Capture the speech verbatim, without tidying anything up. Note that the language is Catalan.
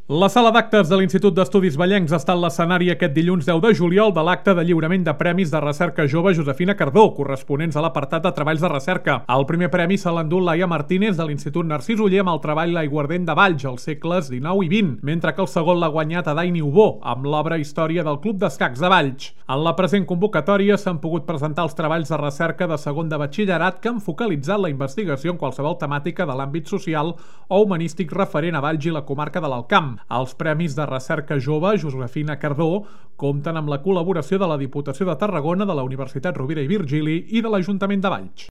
La sala d'actes de l'Institut d'Estudis Vallencs ha estat l'escenari aquest dilluns deu de juliol de l'acte de lliurament de premis de recerca jove Josefina Cardó, corresponents a l'apartat de treballs de recerca. El primer premi se l'endú Laia Martínez de l'Institut Narcís Oller amb el treball L'aiguardent de Valls, als segles dinou i vint, mentre que el segon l'ha guanyat Adaini Ubó, amb l'obra Història del Club d'Escacs de Valls. En la present convocatòria s'han pogut presentar els treballs de recerca de segon de batxillerat que han focalitzat la investigació en qualsevol temàtica de l'àmbit social o humanístic referent a Valls i la comarca de l'Alt Camp. Els Premis de Recerca Jove Josefina Cardó compten amb la col·laboració de la Diputació de Tarragona, de la Universitat Rovira i Virgili i de l'Ajuntament de Valls.